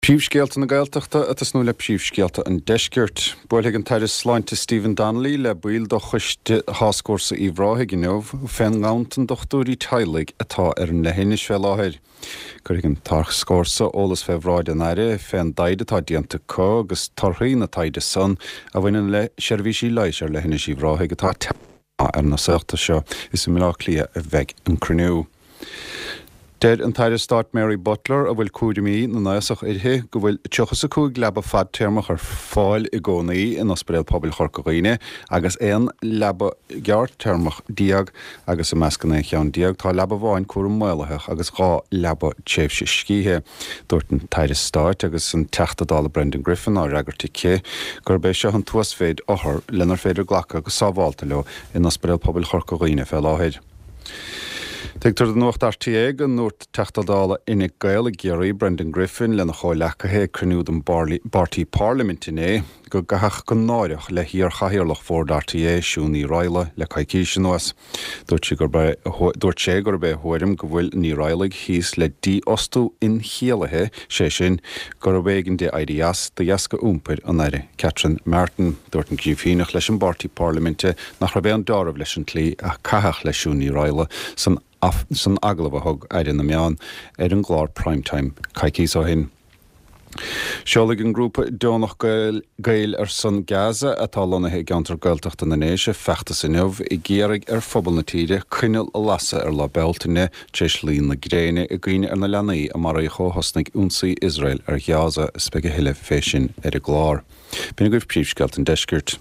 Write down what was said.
Príomhscéalta na Gaeltachta ag tosnú le príomhscéalta an Deiscirt. Buailfidh an tAire Sláinte Stephen Donnelly le baill de choiste Tháscfhórsa Uíbh Ráthaigh inniu fén nganntan dochtúirí teaghlaigh atá ar an leithinis fé láthair. Cuirfidh an Tascfhórsa eolas fé bhráid an Aire fén dtaighde atá déanta acu agus torthaí na taighde san a bhaineann le seirbhísí leighis ar leithinis Uíbh Ráthaigh atá ar na saolta seo. Is i mBaile Átha Cliath a bheidh an cruinniú. Deir an tAire Stáit Mary Butler, a bhfuil cúraimí na n-aosach uirthi, go bhfuil 35 leaba fadtéarmach ar fáil i gcónaí in Ospidéal Pobail Chorca Dhuibhne agus 11 leaba ghearrtéarmach agus i measc an 11 cheann tá leaba amháin cúram maolaitheach agus 2 leaba tréimhse scíthe. Dúirt an tAire Stáit agus an Teachta Dála Brendan Griffin á fhreagairt aici gurb é seo an t-uasmhéid othar lenar féidir glacadh go sábhálta leo in Ospidéal Pobail Chorca Dhuibhne fé láthair. Tuigtear do Nuacht RTÉ go ndúirt Teachta Dála Fhine Gael i gCiarraí, Brendan Griffin, lena chomhleacaithe ag cruinniú den bpáirtí Pairliminte inné go gcaitheadh go náireach le hiar-chathaoirleach Bhord RTÉ, Siún Ní Raghallaigh, le coicís anuas. Dúirt sí gurb é dúirt sé gurb é a thuairim go bhfuil Ní Raghallaigh thíos le dífhostú inchiallaithe, sé sin, gurbh éigean di éirí as de dheasca iompair an Aire Catherine Martin. Dúirt an Grífíneach leis an bpáirtí parlaiminte nach raibh aon deáramh leis an tslí a caitheadh le Siún Ní Raghallaigh san san agallamh a thug Aire na Meán ar an gclár Prime Time coicíos ó shin. Seolfaidh an grúpa deonach Gaeil ar son Gaza, atá lonnaithe i gceantar Gaeltachta na nDéise, feachtas inniu ag iarraidh ar phobal na tíre coinneal a lasadh ar Lá Bealtaine tar éis luí na gréine i gcuimhne ar na leanaí a maraíodh ó thosnaigh ionsaí Iosrael ar Ghaza is beidh a thuilleadh fé sin ar an gclár. B'in agaibh príomhscéalta an deiscirt.